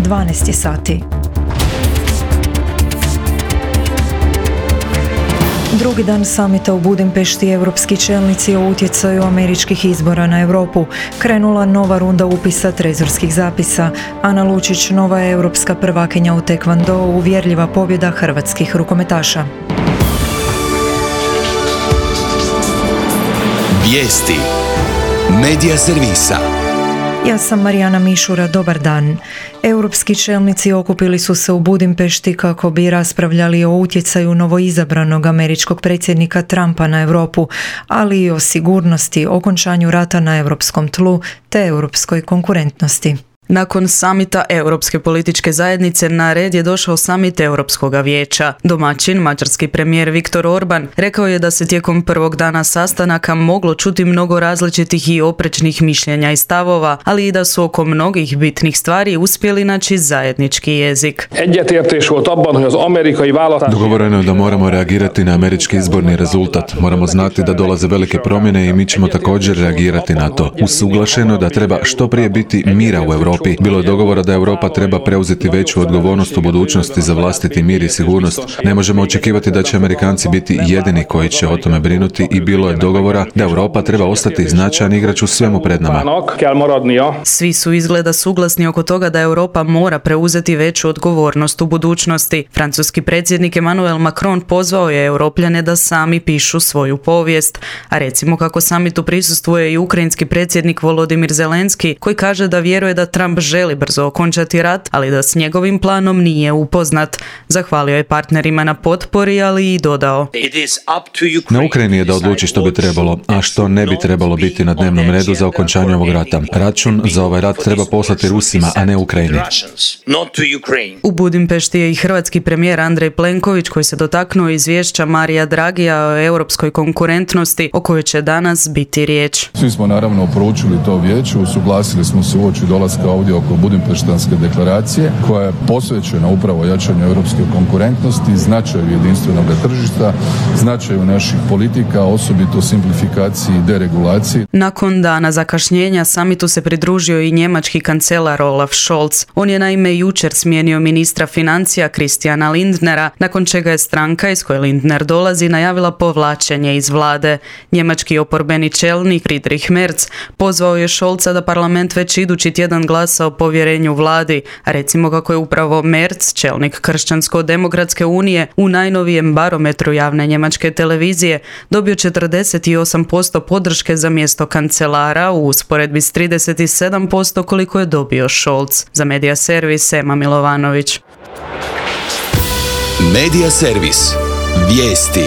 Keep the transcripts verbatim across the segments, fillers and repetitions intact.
dvanaest sati. Drugi dan samita u Budimpešti, europski čelnici o utjecaju američkih izbora na Europu. Krenula nova runda upisa trezorskih zapisa. Ana Lučić, nova europska prvakinja u tekvondou, uvjerljiva pobjeda hrvatskih rukometaša. Vijesti Medija servisa. Ja sam Marijana Mišura, dobar dan. Europski čelnici okupili su se u Budimpešti kako bi raspravljali o utjecaju novoizabranog američkog predsjednika Trumpa na Europu, ali i o sigurnosti, okončanju rata na europskom tlu te europskoj konkurentnosti. Nakon samita Europske političke zajednice na red je došao samit Europskog vijeća. Domaćin, mađarski premijer Viktor Orban, rekao je da se tijekom prvog dana sastanaka moglo čuti mnogo različitih i oprečnih mišljenja i stavova, ali i da su oko mnogih bitnih stvari uspjeli naći zajednički jezik. Dogovoreno je da moramo reagirati na američki izborni rezultat. Moramo znati da dolaze velike promjene i mi ćemo također reagirati na to. Usuglašeno je da treba što prije biti mira u Europi. Bilo je dogovora da Europa treba preuzeti veću odgovornost u budućnosti za vlastiti mir i sigurnost. Ne možemo očekivati da će Amerikanci biti jedini koji će o tome brinuti i bilo je dogovora da Europa treba ostati značajan igrač u svemu pred nama. Svi su izgleda suglasni oko toga da Europa mora preuzeti veću odgovornost u budućnosti. Francuski predsjednik Emmanuel Macron pozvao je Europljane da sami pišu svoju povijest. A recimo kako samitu prisustvuje i ukrajinski predsjednik Volodimir Zelenski, koji kaže da vjeruje da Trump želi brzo okončati rat, ali da s njegovim planom nije upoznat. Zahvalio je partnerima na potpori, ali i dodao: Na Ukrajini je da odluči što bi trebalo, a što ne bi trebalo biti na dnevnom redu za okončanje ovog rata. Račun za ovaj rat treba poslati Rusima, a ne Ukrajini. U Budimpešti je i hrvatski premijer Andrej Plenković, koji se dotaknuo izvješća Marija Dragija o europskoj konkurentnosti, o kojoj će danas biti riječ. Svi smo naravno proučili to vijeće, usuglasili smo se uoči dolaska ovdje oko Budimpeštanske deklaracije, koja je posvećena upravo jačanju europske konkurentnosti, značaju jedinstvenog tržišta, značaju naših politika, osobito simplifikaciji i deregulaciji. Nakon dana zakašnjenja samitu se pridružio i njemački kancelar Olaf Scholz. On je naime jučer smijenio ministra financija Christiana Lindnera, nakon čega je stranka iz koje Lindner dolazi najavila povlačenje iz vlade. Njemački oporbeni čelnik Friedrich Merz pozvao je Scholza da parlament već idući tjedan glasa o povjerenju vladi, a recimo kako je upravo Merz, čelnik Kršćansko-demokratske unije, u najnovijem barometru javne njemačke televizije dobio četrdeset osam posto podrške za mjesto kancelara u usporedbi s trideset sedam posto koliko je dobio Scholz. Za Medija servis Ema Milovanović. Medija servis. Vijesti.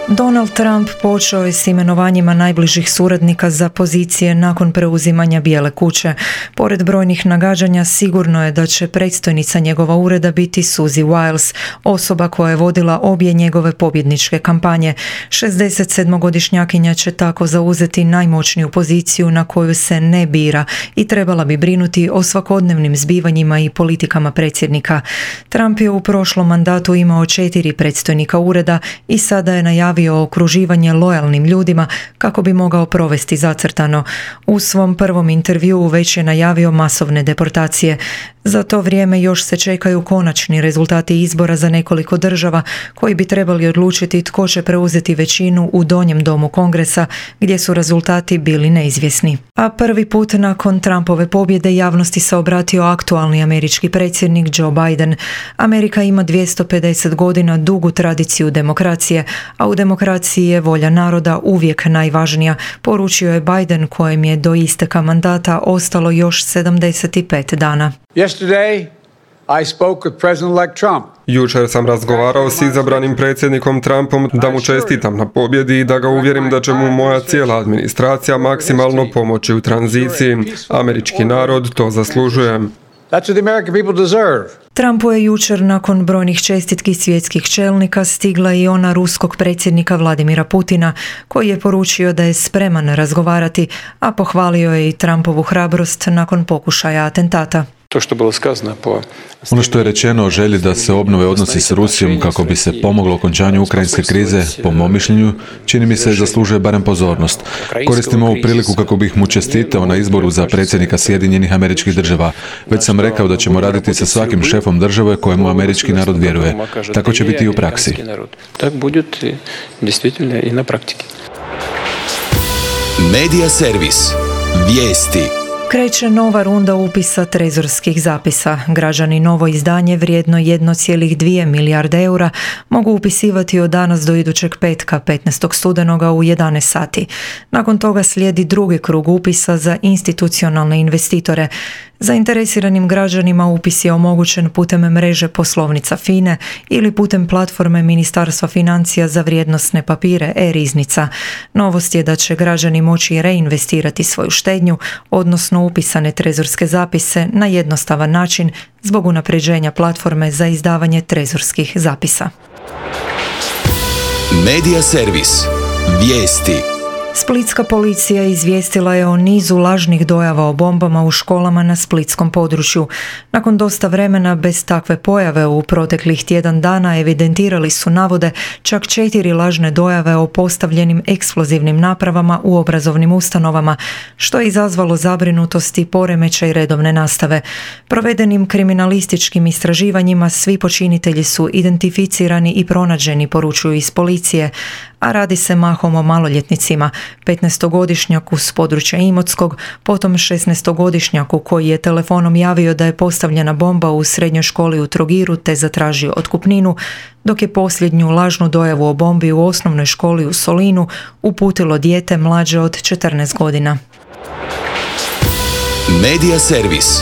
Donald Trump počeo je s imenovanjima najbližih suradnika za pozicije nakon preuzimanja Bijele kuće. Pored brojnih nagađanja, sigurno je da će predstojnica njegova ureda biti Suzy Wiles, osoba koja je vodila obje njegove pobjedničke kampanje. šezdesetsedmogodišnjakinja će tako zauzeti najmoćniju poziciju na koju se ne bira i trebala bi brinuti o svakodnevnim zbivanjima i politikama predsjednika. Trump je u prošlom mandatu imao četiri predstojnika ureda i sada je najavio okruživanje lojalnim ljudima kako bi mogao provesti zacrtano. U svom prvom intervjuu već je najavio masovne deportacije. Za to vrijeme još se čekaju konačni rezultati izbora za nekoliko država koji bi trebali odlučiti tko će preuzeti većinu u donjem domu Kongresa, gdje su rezultati bili neizvjesni. A prvi put nakon Trumpove pobjede javnosti se obratio aktualni američki predsjednik Joe Biden. Amerika ima dvjesto pedeset godina dugu tradiciju demokracije, a u demokraciji je volja naroda uvijek najvažnija, poručio je Biden, kojem je do isteka mandata ostalo još sedamdeset pet dana. Yesterday, I spoke with President-elect Trump. Jučer sam razgovarao s izabranim predsjednikom Trumpom da mu čestitam na pobjedi i da ga uvjerim da će mu moja cijela administracija maksimalno pomoći u tranziciji. Američki narod to zaslužuje. That's what the American people deserve. Trumpu je jučer nakon brojnih čestitki svjetskih čelnika stigla i ona ruskog predsjednika Vladimira Putina, koji je poručio da je spreman razgovarati, a pohvalio je i Trumpovu hrabrost nakon pokušaja atentata. To što je bilo skazano po... Ono što je rečeno o želji da se obnove odnosi s Rusijom kako bi se pomoglo okončanju ukrajinske krize, po mom mišljenju, čini mi se zaslužuje barem pozornost. Koristim ovu priliku kako bih mu čestitao na izboru za predsjednika Sjedinjenih Američkih Država. Već sam rekao da ćemo raditi sa svakim šefom države kojemu američki narod vjeruje. Tako će biti i u praksi. Tak bude действительно i na praktiki. Medija servis. Vijesti. Kreće nova runda upisa trezorskih zapisa. Građani novo izdanje vrijedno jedan zarez dva milijarde eura mogu upisivati od danas do idućeg petka, petnaestog studenoga u jedanaest sati. Nakon toga slijedi drugi krug upisa za institucionalne investitore. Zainteresiranim građanima upis je omogućen putem mreže poslovnica FINE ili putem platforme Ministarstva financija za vrijednosne papire e-riznica. Novost je da će građani moći reinvestirati svoju štednju, odnosno upisane trezorske zapise na jednostavan način zbog unapređenja platforme za izdavanje trezorskih zapisa. Medija servis. Vijesti. Splitska policija izvijestila je o nizu lažnih dojava o bombama u školama na splitskom području. Nakon dosta vremena bez takve pojave u proteklih tjedan dana evidentirali su navode čak četiri lažne dojave o postavljenim eksplozivnim napravama u obrazovnim ustanovama, što je izazvalo zabrinutost i poremećaj redovne nastave. Provedenim kriminalističkim istraživanjima svi počinitelji su identificirani i pronađeni, poručuju iz policije, a radi se mahom o maloljetnicima, petnaestogodišnjaku s područja Imotskog, potom šesnaestogodišnjaku koji je telefonom javio da je postavljena bomba u srednjoj školi u Trogiru te zatražio otkupninu, dok je posljednju lažnu dojavu o bombi u osnovnoj školi u Solinu uputilo dijete mlađe od četrnaest godina. Medija servis.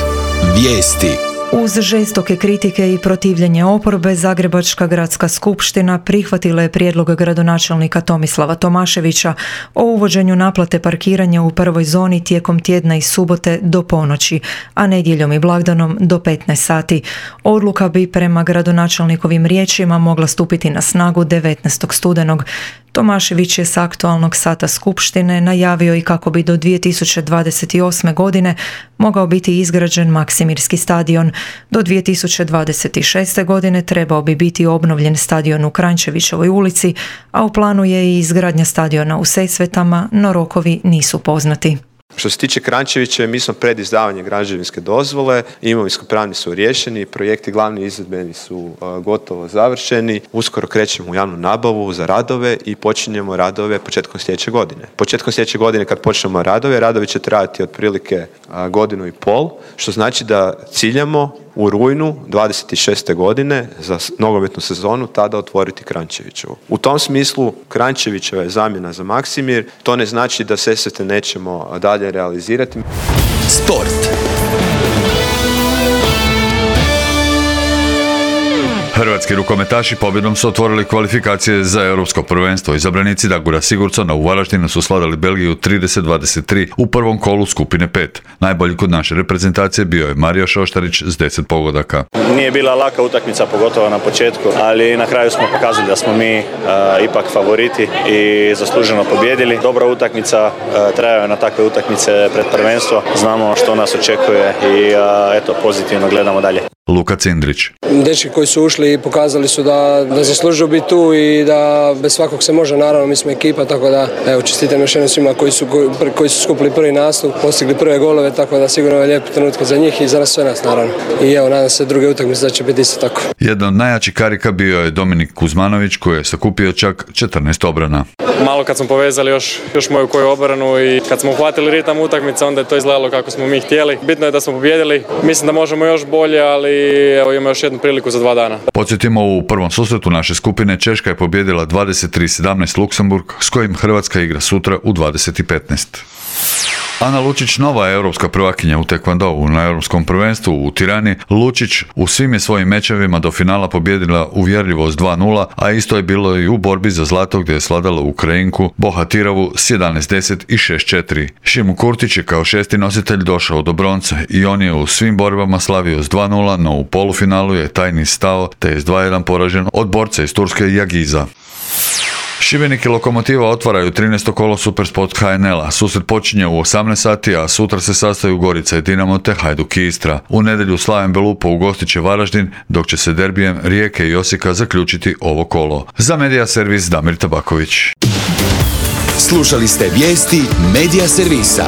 Vijesti. Uz žestoke kritike i protivljenje oporbe, Zagrebačka gradska skupština prihvatila je prijedlog gradonačelnika Tomislava Tomaševića o uvođenju naplate parkiranja u prvoj zoni tijekom tjedna i subote do ponoći, a nedjeljom i blagdanom do petnaest sati. Odluka bi prema gradonačelnikovim riječima mogla stupiti na snagu devetnaestog studenog. Tomašević je s aktualnog sata skupštine najavio i kako bi do dvije tisuće dvadeset osme. godine mogao biti izgrađen Maksimirski stadion. Do dvije tisuće dvadeset šeste. godine trebao bi biti obnovljen stadion u Kranjčevićevoj ulici, a u planu je i izgradnja stadiona u Sesvetama, no rokovi nisu poznati. Što se tiče Kranjčevića, mi smo pred izdavanje građevinske dozvole, imovinsko-pravni su riješeni, projekti glavni izvedbeni su uh, gotovo završeni, uskoro krećemo u javnu nabavu za radove i počinjemo radove početkom sljedeće godine. Početkom sljedeće godine kad počnemo radove, radovi će trajati otprilike uh, godinu i pol, što znači da ciljamo u rujnu dvadeset šeste. godine za nogometnu sezonu tada otvoriti Kranjčevićevu. U tom smislu Kranjčevićeva je zamjena za Maksimir, to ne znači da Sesvete nećemo dalje realizirati. Sport. Hrvatski rukometaši pobjedom su otvorili kvalifikacije za europsko prvenstvo. Izabranici Dagura Sigurdsona u Varaždinu su slavili Belgiju trideset dvadeset tri u prvom kolu skupine pet. Najbolji kod naše reprezentacije bio je Mario Šoštarić s deset pogodaka. Nije bila laka utakmica, pogotovo na početku, ali na kraju smo pokazali da smo mi uh, ipak favoriti i zasluženo pobjedili. Dobra utakmica, uh, trajaju na takve utakmice pred prvenstvo. Znamo što nas očekuje i uh, eto, pozitivno gledamo dalje. Luka Cindrić. Dečki koji su ušli pokazali su da, da zaslužuju biti tu i da bez svakog se može, naravno mi smo ekipa, tako da evo, čestitam još jednom svima koji su, koji su skupili prvi nastup, postigli prve golove, tako da sigurno je lijepi trenutak za njih i za sve nas naravno. I evo, nadam se druge utakmice da će biti isto tako. Jedan od najjačih karika bio je Dominik Kuzmanović koji je sakupio čak četrnaest obrana. Malo kad smo povezali još, još moju koju obranu i kad smo uhvatili ritam utakmice, onda je to izgledalo kako smo mi htjeli. Bitno je da smo pobijedili, mislim da možemo još bolje, ali evo imamo još jednu priliku za dva dana. Podsjetimo, u prvom susretu naše skupine Češka je pobijedila dvadeset tri sedamnaest Luksemburg, s kojim Hrvatska igra sutra u dvadeset petnaest. Ana Lučić, nova je europska prvakinja u tekvandovu na europskom prvenstvu u Tirani. Lučić u svim je svojim mečevima do finala pobijedila uvjerljivo s dva nula, a isto je bilo i u borbi za zlato gdje je svladala Ukrajinku Bohatiravu s jedanaest deset i šest četiri. Šimu Kurtić je kao šesti nositelj došao do bronce i on je u svim borbama slavio s dva nula, no u polufinalu je taj niz stao te je s dva jedan poražen od borca iz Turske Jagiza. Šibenik i Lokomotiva otvaraju trinaesto kolo Supersport H N L-a. Susret počinje u osamnaest sati, a sutra se sastaju Gorica i Dinamo te Hajduk i Istra. U nedjelju Slaven Belupo ugostit će Varaždin, dok će se derbijem Rijeke i Osijeka zaključiti ovo kolo. Za Medija Servis Damir Tabaković. Slušali ste vijesti Medija Servisa.